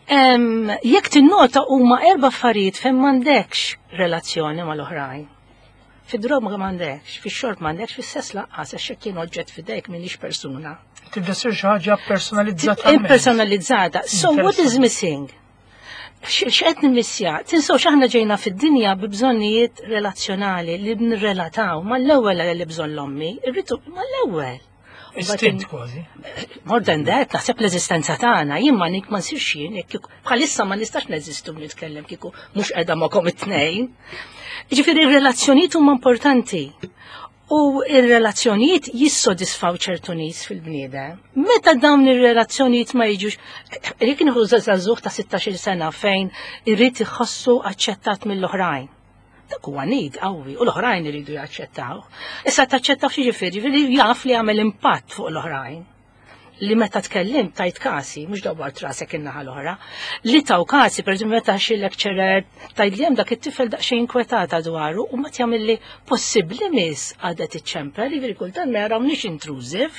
Em, Jekk tinnota huma erba' affarijiet fejn m'għandekx relazzjoni mal-oħrajn. Fid-droga m'għandekx, fix-xorb m'għandekx, fis-sess lanqas, għax jekk jien oġġett f'idejk m'iniex persuna. Tibda ssir xi ħaġa personalizzata. Impersonalizzata. So what is missing? X'qed nimmissja? Tinsewx aħna ġejna fid-dinja bi bżonnijiet relazzjonali li nirrelataw mal-ewwel li bżonn l-ommi, irridu mal-ewwel. Istint kważi. More than that, naħseb l-eżistenza tagħna, jien ma nik ma nsirx jien, jekk kieku- bħalissa ma nistax neżistu nitkellem kieku mhux qiegħda magħkom it-tnejn. Ġifieri ir-relazzjonijiet huma importanti. U ir-relazzjonijiet jissodisfaw ċertu nies fil-bniedem. Meta dawn ir-relazzjonijiet ma jiġux, jekk nieħu żagħżugħ ta' sittax-il sena fejn irrid iħossu aċċettat mill-oħrajn. Dak huwa need qawwi u l-oħrajn iridu jaċċettaw. Issa taċċettaw xi ġifieri, ġifieri jaf li jagħmel impatt fuq l-oħrajn. Li meta tkellim tajt kasi, mhux dawwart rasek in-naħa l-oħra, li taw kasi, per eżempju meta xi lecturer tgħid li hemm dak it-tifel daqsxejn inkwetata dwaru u ma jagħmel li possibbli miss għadet iċ-ċempel, jiġifieri kultant ma jarawniex intrusive.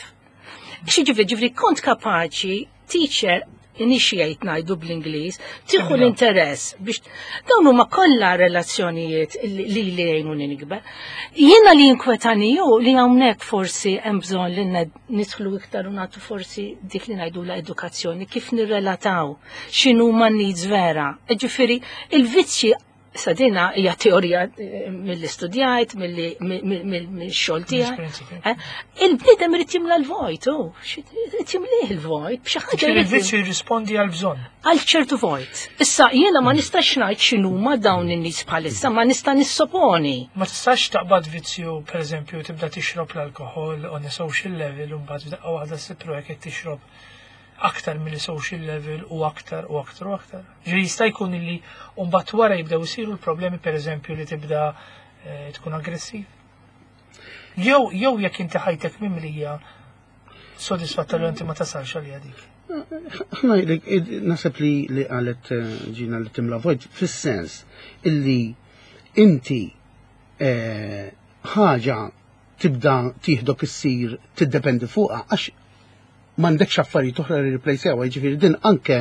Xi ġifieri ġifieri kont kapaċi teacher initiate ngħidu bl-Ingliż, tieħu l-interess biex dawn huma kollha relazzjonijiet li li li jgħinuni nikber. Jiena li jinkwetani ju li hawnhekk forsi hemm bżonn li ned- nidħlu iktar u nagħtu forsi dik li ngħidu la edukazzjoni kif nirrelataw x'inhu ma needs vera. Ġifieri il-vizzji sa dina hija teorija eh, mill-istudjajt, mill-xogħol tiegħi. L-esperjenza tiegħek. Eh, Il-bniedem irid jimla l-vojt, oh, irid jimlih il-vojt, b'xi ħaġa Ġifieri jrid il-vizzju jirrispondi għal bżonn. għal ċertu vojt. Issa jiena ma nistax ngħid x'inhuma dawn in-nies bħalissa, ma nista' nissoponi. Ma tistax taqbad vizzju, per eżempju, tibda tixrob l-alkohol on a social level, u mbagħad f'daqqa waħda ssib ruħek qed tixrob aktar mill social level u aktar u aktar u aktar. Ġifieri jista' jkun illi mbagħad wara jibdew isiru l-problemi per eżempju li tibda eh, tkun aggressiv. Jew jew jekk inti ħajtek mimlija sodisfatta li inti ma tasalx għalija dik. Ħna naħseb li li qalet eh, Ġina li timla vojt fis-sens illi inti eh, ħaġa tibda tieħdok issir tiddependi fuqha għax m'għandekx affarijiet oħra li replacejaw, jiġifieri din anke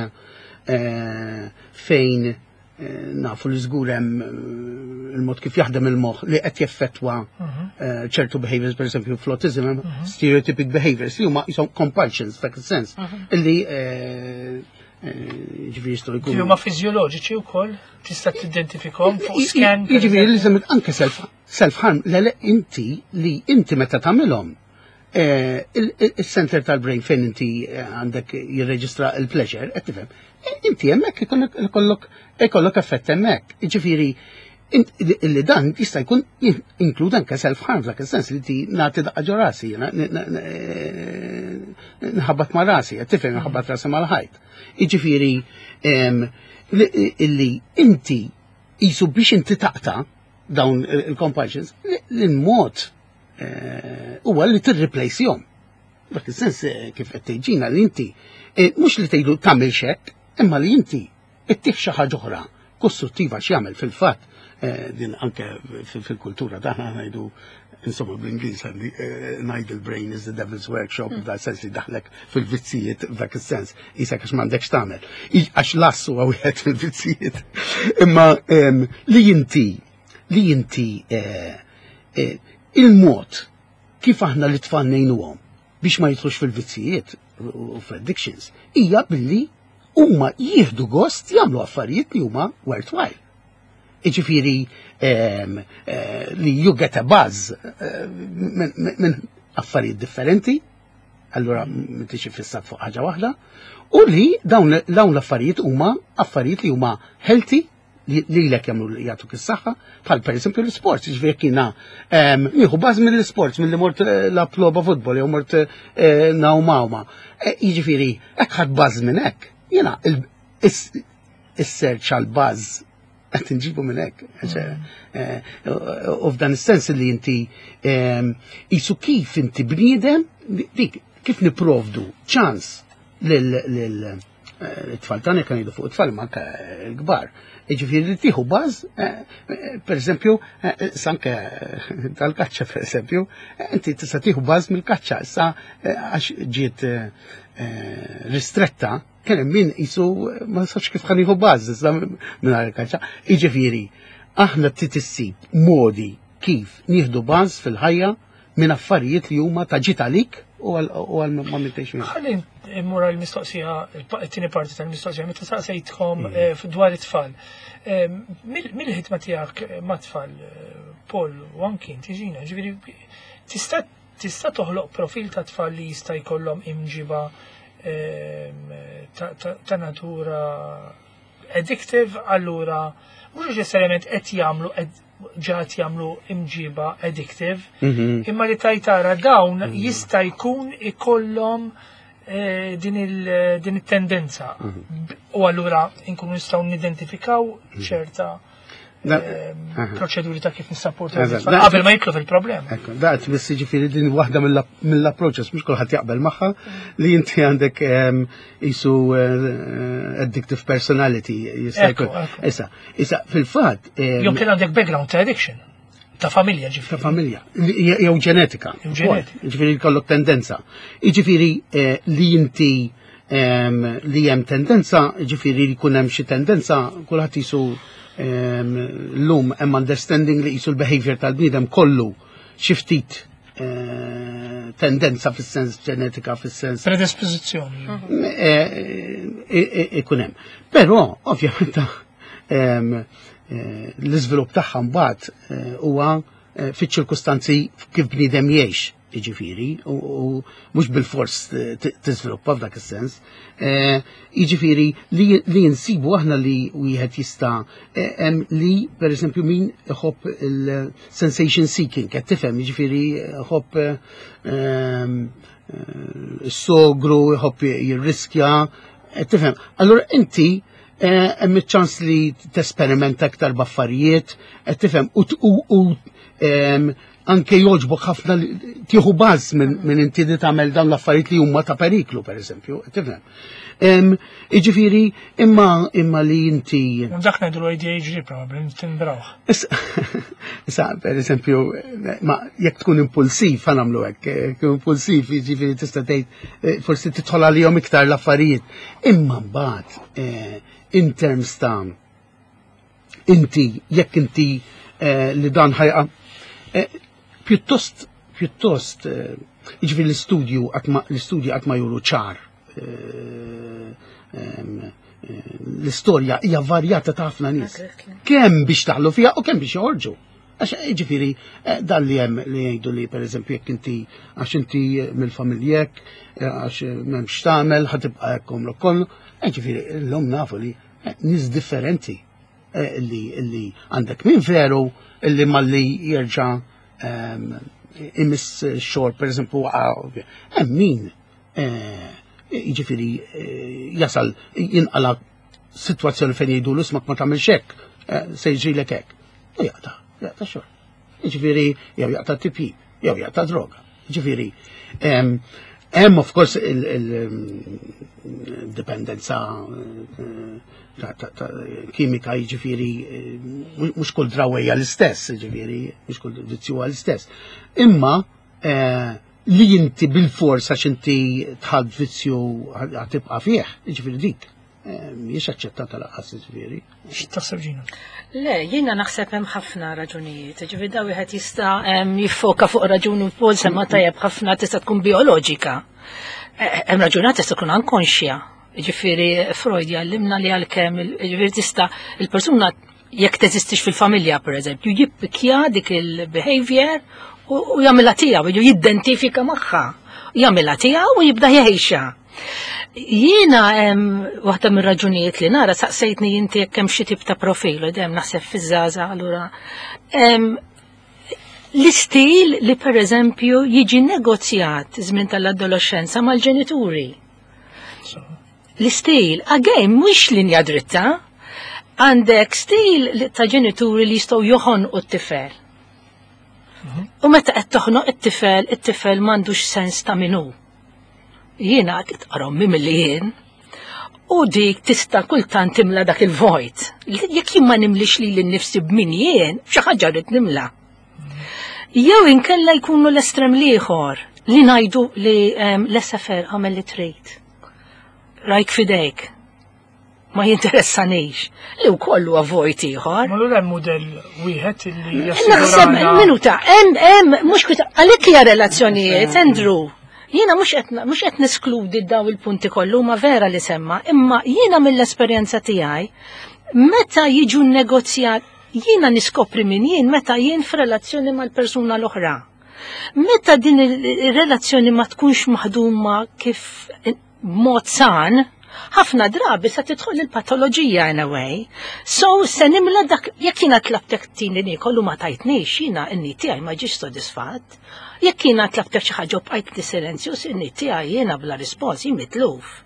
eh, fejn eh, nafu li żgur hemm eh, il-mod kif jaħdem il-moħħ li qed jeffettwa eh, ċertu behaviors, per esempio fl-autism, hemm stereotypic behaviors li huma jisom compulsions dak is-sens illi eh, eh, jiġifieri jistgħu jkunu. Huma fiżjoloġiċi wkoll tista' tidentifikhom fuq scan. Per Jiġifieri li eżempju. semmet anke self self harm, le le inti li inti meta tagħmilhom eh, il- il- il-center tal-brain fejn inti eh, għandek jirreġistra il-pleasure, qed tifhem. eh, Inti hemmhekk ikollok ikollok ikollok effett hemmhekk. Jiġifieri int- illi dan jista' jkun inklud anke self harm f'dak is-sens li ti nagħti daqqa ġo rasi, jiena, n- n- n- nħabbat ma' rasi, qed tifhem nħabbat rasi mal-ħajt. Jiġifieri em, li- illi inti jisu biex inti taqta dawn il-compulsions, l-mod eh, huwa li tirreplace-jhom. Dak is-sens eh, kif qed tgħid li inti eh, mhux li tgħidu tagħmel xekk, imma li inti ittih xi ħaġa oħra kostruttiva x'jagħmel fil-fatt eh, din anke fil- fil-kultura tagħna ngħidu insomma bl-Ingliż għandi an idle brain is the devil's workshop, f'dak sens li daħlek fil-vizzijiet f'dak is-sens, isek għax m'għandekx tagħmel. I- Għax lassu huwa wieħed fil-vizzijiet. Imma em, li inti li inti eh, eh, il-mod kif aħna li tfal ngħinuhom biex ma jidħlux fil-vizzijiet u fl-addictions hija billi huma jieħdu gost jagħmlu affarijiet li huma worthwhile. Iġifieri em, eh, li you get a buzz eh, minn min affarijiet differenti, allura m'intix fissat fuq ħaġa waħda, u li dawn dawn l-affarijiet huma affarijiet li huma healthy li li lek jagħmlu jagħtuk is-saħħa, bħal pereżempju l-sports, jiġifieri jekk jiena em, nieħu buzz mill-sports milli mort eh, lab logħba futbol jew mort eh, ngħum għawma. Eh, Jiġifieri hekk ħadd buzz minn hekk. Jiena il- is- is-search għal buzz qed nġibu minn hekk. Eh, U f'dan is-sens li inti em, isu kif inti bniedem dik kif niprovdu ċans lil lil eh, it-tfal tagħna kan jgħidu fuq it-tfal ma anke l-kbar. Jiġifieri li tieħu buzz, eh, eh, per eżempju, eh, sanke tal-kaċċa per eżempju, eh, inti tista' tieħu buzz mill-kaċċa, issa eh, għax ġiet eh, eh, ristretta, kien hemm min jisu ma safx kif ħa nieħu buzz issa mingħajr il-kaċċa. Jiġifieri, aħna trid issib modi kif nieħdu buzz fil-ħajja minn affarijiet li huma ta' ġid għalik u għal u għal ma mintejx minn. Ħalli mmur għal-mistoqsija, it-tieni parti tal-mistoqsija, meta saqsejtkom eh, dwar it-tfal. Eh, mill- Mill-ħidma tiegħek eh, ma' tfal, eh, Paul u anki inti Ġina, ġifieri tista' tista' toħloq profil ta' tfal li jista' jkollhom imġiba ehm, ta' ta- ta' natura addictive, allura mhux neċessarjament qed jagħmlu ed- ġa qed jagħmlu imġiba addictive, Mhm. imma li tajtara dawn jista' jkun ikollhom eh, din il- din it-tendenza. B- U allura nkunu nistgħu nidentifikaw ċerta Da- eh, aha. proċeduri ta' kif nissapportu Eżatt. it-tfal Da- qabel ma jitlu fil-problema. Ekku, da qed biss jiġifieri din waħda mill- mill-approaches, mhux kulħadd jaqbel magħha, li inti għandek em, isu eh, addictive personality jista' Ekku, jkun. ekku. Issa, issa fil-fatt em, Jew kien għandek background ta' addiction, ta' familja ta' ġifieri. familja, li- jew ġenetika. Jew ġenetika. Jiġifieri jkollok tendenza. Jiġifieri eh, li inti em, li hemm tendenza, jiġifieri li jkun hemm xi tendenza, kulħadd jisu em, llum hemm understanding li jisu l-behavior tal-bniedem kollu xi ftit eh, tendenza fis-sens ġenetika, fis-sens Predispożizzjoni. eh, eh, ikun hemm. Però ovvjament em, eh, l-iżvilupp tagħha mbagħad eh, huwa eh, fiċ-ċirkustanzi kif bniedem jgħix, jiġifieri, u u mhux bil-fors eh, t- tiżviluppa f'dak is-sens. Eh, Jiġifieri li li nsibu aħna li wieħed jista' eh, hemm li pereżempju min iħobb il-sensation seeking, qed tifhem, jiġifieri iħobb eh, ehm, eh, sogru, jħobb jirriskja, eh, tifhem. Allora inti eh, hemm iċ-ċans li tesperimenta aktar b'affarijiet, qed tifhem, u t- u u em, Anke jogħġbok ħafna li tieħu buzz minn min inti li tagħmel dawn l-affarijiet li huma ta' periklu, per eżempju, tifhem. Em, Jiġifieri, imma imma li inti U dak ngħidu A D H D probabbli timbrawh. Issa, issa, per eżempju, ma jekk tkun impulsiv, ħa nagħmlu hekk, jekk impulsiv, jiġifieri tista' tgħid eh, forsi tidħol għalihom iktar l-affarijiet. Imma mbagħad eh, in terms ta' inti, jekk inti eh, li dan ħajqa, eh, pjuttost, pjuttost, eh, jiġifieri l-istudju qatt ma- l-istudji qatt ma juru ċar. eh, em, eh, L-istorja hija varjata ta' ħafna nies Exactly. Kemm biex daħlu fiha u kemm biex joħorġu. Għax ġifieri, eh, dan li hemm li jgħidu li per eżempju jekk inti għax inti mill-familjek, eh, għax m'hemmx tagħmel, ħa tibqa' hekk għomrok kollu. Eh, Ġifieri, llum nafu li eh, nies differenti eh, li li għandek min veru illi malli jerġa' ehm, imiss xorb, per eżempju, waqa', hemm min eh, jiġifieri eh, jasal jinqala situazzjoni fejn jgħidu l-ismak ma tagħmilx hekk, eh, se jiġrilek hekk. U jaqta', jaqta' xorb. Jiġifieri jew jaqta' tipjip, jew jaqta' droga. Jiġifieri em, hemm of course il-dipendenza ta' ta' ta' kimika, jiġifieri eh, mhux kull drawwa hija l-istess, jiġifieri mhux kull vizzju huwa l-istess. Imma eh, li inti bil-forsa x'inti tħad vizzju ħa tibqa' fih, jiġifieri dik eh, mhijiex aċċettata lanqas, jiġifieri. X'taħseb, Ġina? Le, jiena naħseb hemm ħafna raġunijiet. Ġifieri da wieħed jista' em, jiffoka fuq raġuni wkoll semma tajjeb ħafna, tista' tkun bioloġika. Eh, Hemm raġuni tista' tkun ankonxja. Ġifieri Freud jgħallimna li għalkemm il- ġifieri tista' il-persuna jekk teżistix fil-familja, pereżempju, jippikja dik il-behavior u u jagħmilha tiegħu, jew jidentifika magħha. Jagħmilha tiegħu u jibda jgħixha. Jiena hemm waħda mir-raġunijiet li nara, saqsejtni inti jekk hemm xi tip ta' profil, u dejjem naħseb fiż-żgħażagħ allura. Em, L-istil li per eżempju jiġi negozjat żmien tal-adolescenza mal-ġenituri. So, L-istil, again, mhux linja dritta, għandek stil li- ta' ġenituri li jistgħu joħonqu t-tifel. U meta qed toħnoq it-tifel, it-tifel m'għandux sens ta' min hu. Jiena tqarommi milli jien. U dik tista' kultant timla dak il-vojt. Jekk jien ma nimlix li l-nifsi b'min jien, xi ħaġa rrid nimla. Jew inkella jkunu l-estrem l-ieħor li ngħidu li um, l-S F R għamel li trid. Rajk fidejk. Ma jinteressanix. Li wkoll huwa vojt ieħor. Ma l hemm mudell wieħed illi Naħseb, jassigurana minuta, hemm hemm mhux kwita għalhekk hija relazzjonijiet, Andrew. Jiena mhux qed mhux qed neskludi daw il-punti kollu ma vera li semma, imma jiena mill-esperjenza tiegħi meta jiġu negozjat, jiena niskopri min jien meta jien f'relazzjoni mal-persuna l-oħra. Meta din il-relazzjoni ma tkunx maħduma kif b'mod san, ħafna drabi sa tidħol il-patoloġija in a way. So se nimla dak, jekk jiena tlabtek tini niekol u ma tajtnix, jiena n-need tiegħi ma ġiex sodisfatt. Jekk jiena tlabtek xi ħaġa u bqajt li silenzju, n-need tiegħi jiena bla rispons, jien mitluf.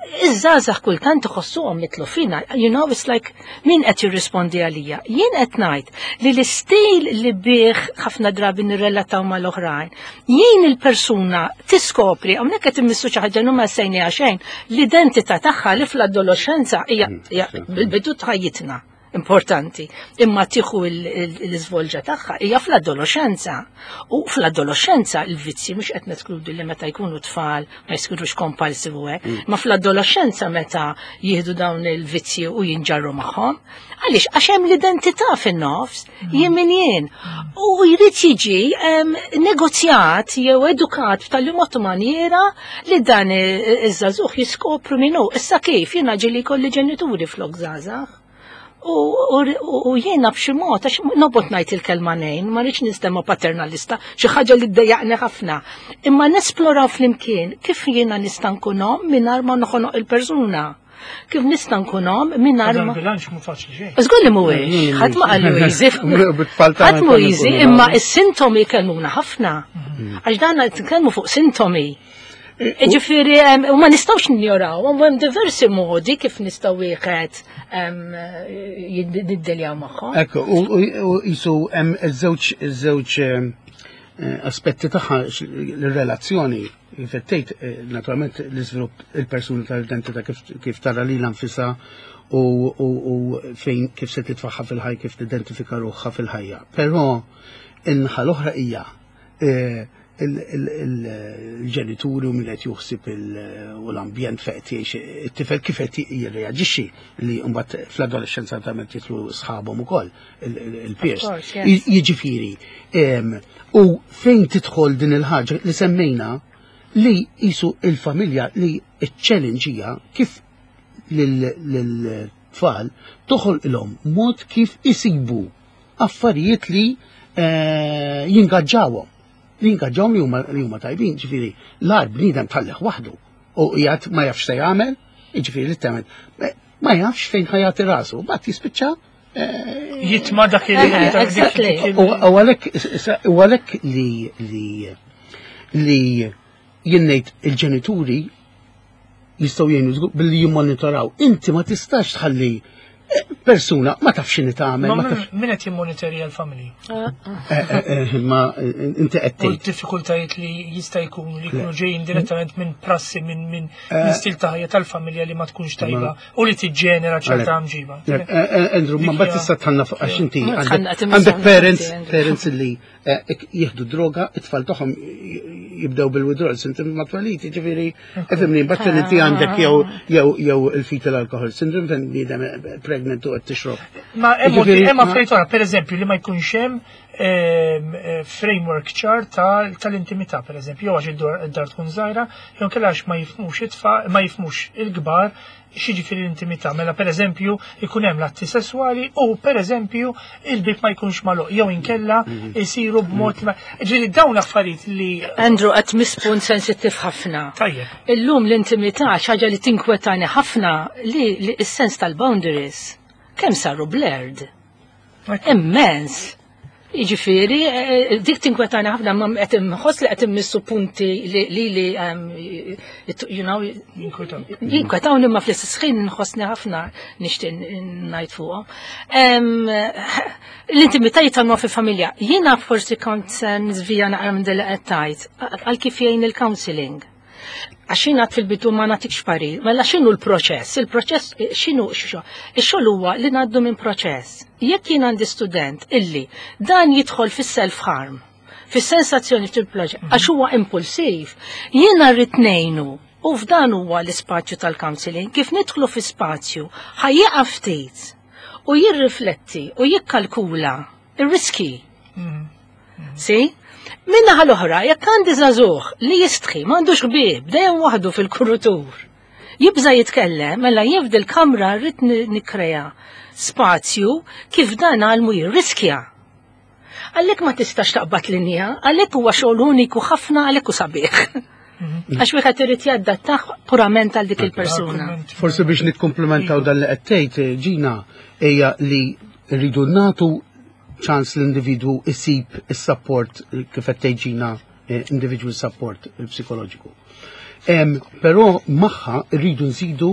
Iż-żgħażagħ kultant iħossuhom mitlufina, you know, it's like min qed jirrispondi għalija? Jien qed ngħid li l-istil li bih ħafna drabi nirrelataw mal-oħrajn, jien il-persuna tiskopri, hawnhekk qed immissu xi ħaġa ma sejni xejn, l-identità tagħha li fl-adolescenza hija hija bil-bidu ta' ħajjitna importanti, imma tieħu l-iżvolġa tagħha hija fl-adolescenza. U fl-adolescenza il-vizzi, mhux qed neskludi li meta jkunu tfal ma jsirux compulsive u hekk, ma fl-adolescenza meta jieħdu dawn il-vizzi u jinġarru magħhom. Għaliex? Għax hemm l-identità fin-nofs, jien min jien. U jrid jiġi em, negozjat jew edukat b'tali mod u maniera li dan iż-żagħżugħ jiskopru min hu. Issa kif jiena ġieli kolli ġenituri flok żgħażagħ. U, u, u jiena b'xi mod, għax nobgħod ngħid il-kelma nejn, ma rridx ninstema paternalista, xi ħaġa li ddejjaqni ħafna. Imma nesploraw flimkien kif jiena nista' nkun omm mingħajr ma noħonoq il-persuna. Kif nista' nkun omm mingħajr Dan ma bilanċ mhu faċli xejn. Żgur li mhuwiex, ħadd ma qallu easy. Bit-tfal tagħna Ħadd mhu easy, konna imma is-sintomi jkellmuna ħafna. Għax dan qed nitkellmu fuq sintomi. Ġifieri, em, u ma nistgħux ninjoraw, u hemm diversi modi kif nistgħu wieħed em, jiddiljaw magħhom. Ekku, u u- u jisu hemm iż-żewġ iż-żewġ em, eh, aspetti tagħha x- l-relazzjoni kif qed tgħid, eh, naturalment l-iżvilupp il-persuna tal-identità kif kif tara lilha nfisha u, u, u fejn kif se titfaħħa fil-ħajja, kif tidentifika ruħha fil-ħajja. Però in-naħa l-oħra hija eh, il- il- il- il-ġenituri u min qed juħsib il- u l-ambjent fejn qed jgħix it-tifel kif qed jirreaġixxi li mbagħad fl-adolescenza naturalment jidħlu sħabhom ukoll il- il- il-peers. Of course, yes. Jiġifieri, em, u fejn tidħol din il-ħaġa li semmejna li jisu il-familja li il-challenge hija kif lil-tfal toħolqilhom mod kif isibu affarijiet li eh, jingaġġawhom. Li jingaġġawhom li huma li huma tajbin, ġifieri l-ar bniedem tħallih waħdu u qiegħed ma jafx se jagħmel, jiġifieri literalment ma jafx fejn ħa jagħti rasu, mbagħad jispiċċa eh, Jitma dak il- Eh, dak- dik- exactly. dik il- U u għalhekk u għalhekk li li li jien ngħid il-ġenituri jistgħu jgħinu żgur billi jimmonitoraw. Inti ma tistax tħalli eh, persuna ma tafx x'inhi tagħmel, Ma ma tafx min min qed jimmonitorja l-familji? eh, eh, eh, ma eh, inti qed U tgħid. d-diffikultajiet li jista' jkun li jkunu ġejjin direttament minn prassi minn minn minn stil ta' ħajja tal-familja li ma tkunx tajba u li tiġġenera ċerta mġiba. Eh, eh, Andrew, ma mbagħad tista' tħanna fuq għax inti Ma għandek tħanna, timissa għandek parents, Andrew. parents li eh, ik- jieħdu droga, it-tfal tagħhom jibdew bil-withdrawal syndrome ma twelid, jiġifieri, ifhimni, mbagħad inti għandek jew jew jew il-fetal alcohol syndrome fejn bniedem pregnant u qed tixrob. Ma hemm Jiġifieri, hemm ma- affarijiet oħra, pereżempju li ma jkunx hemm ehm, eh, framework ċar ta- tal-intimità, pereżempju, jew għax id-dar id-dar tkun żgħira, jew inkella għax ma jifhmux it-tfal, ma jifhmux il-kbar x'jiġifieri l-intimità. Mela pereżempju ikun hemm l-atti sesswali u pereżempju il-bib ma jkunx magħluq jew inkella jsiru b'mod li ma. Ġifieri dawn affarijiet li Andrew, qed tmiss punt sensittiv ħafna. Tajjeb. Illum l-intimità xaġa li tinkwetani ħafna li, li s-sens tal-boundaries kemm saru blurred. Immens. Jiġifieri, eh, dik tinkwetani ħafna ma qed inħoss li qed immissu punti li li li um, you know, Jinkwetaw. jinkwetawni ma fl-istess ħin nħossni ħafna nixtieq ngħid fuqhom. Em, L-intimità jitalmu fil-familja. Jiena forsi kont se niżvija naqra minn li qed tgħid għal kif jgħin il-counseling. Għax jiena fil-bidu ma nagħtikx parir, mela x'inhu l-proċess? Il-proċess eh, x'inhu x'xo? Ix-xogħol huwa li ngħaddu minn proċess. Jekk jien għandi student illi dan jidħol fis-self harm, fis-sensazzjoni fil-proġett, għax huwa impulsiv, jiena rrid ngħinu u f'dan huwa l-ispazju tal-counseling, kif nidħlu fi spazju ħa jieqaf ftit u jirrifletti u jikkalkula ir-riski. Si? Min-naħa l-oħra, jekk għandi żagħżugħ li jistħi, m'għandux ħbieb, dejjem waħdu fil-kurutur. Jibża jitkellem, mela jien f'dil-kamra rrid ni- nikkrea spazju kif dan għalmu jirriskja. Għalhekk ma tistax taqbad linja, għalhekk huwa xogħol uniku ħafna għalhekk hu sabiħ. Għax wieħed irid jadattah purament għal dik il-persuna. Forsi biex nikkomplementaw dan li qed tgħid Ġina hija li rridu nagħtu ċans l-individwu isib is-support kif qed tgħid Ġina eh, individual support psikoloġiku. Em, Però magħha rridu nżidu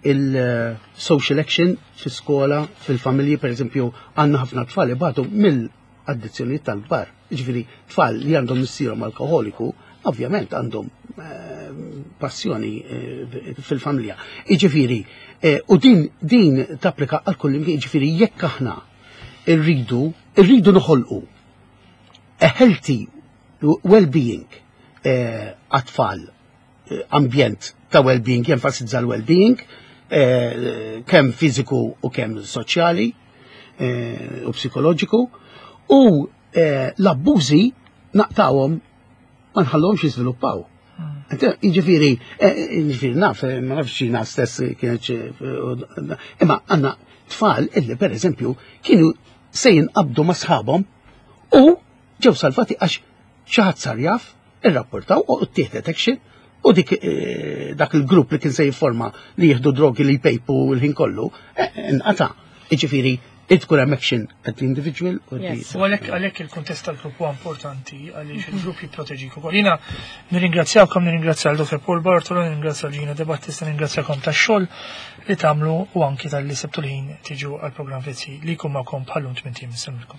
il-social action fi-skola, fil-familji, per eżempju, għandna ħafna tfal ibatu mill-addizzjoni tal-bar. Ġifieri, tfal li għandhom missierhom alkoholiku, ovvjament għandhom eh, passjoni eh, fil-familja. Iġifieri, eh, u din din tapplika għal kull imkien, ġifieri jekk aħna irridu irridu noħolqu a healthy well-being eh, għat-tfal, eh, ambjent ta' well-being, jenfasizza l-well-being, eh, kemm fiżiku u kemm soċjali eh, u psikoloġiku, u eh, l-abbużi naqtawhom ma nħallhomx jiżviluppaw. Jiġifieri, eh, jiġifieri naf, eh, ma nafx xina stess kienet xi- imma għandna tfal illi per eżempju kienu se jinqabdu ma' sħabhom u ġew salvati għax xi ħadd sar jaf, irrapportaw u ttieħdet action u dik eh, dak il-grupp li kien se jifforma li jieħdu drogi li jpejpu l-ħin kollu, eh, inqata'. Jiġifieri, tkun hemm action at the individual u the- Yes. U għalhekk għalhekk il-kuntest tal-grupp huwa importanti għaliex il-grupp jipproteġik ukoll. Jiena nirringrazzjawkom, nirringrazzja l Dottor Paul Bartolo, nirringrazzja l Gina De Battista, nirringrazzjakom tax-xogħol li tagħmlu u anki talli sibtu l-ħin tiġu għall-programm Vizzi li jkun magħkom bħallum tmint ijiem. Insellmilkom.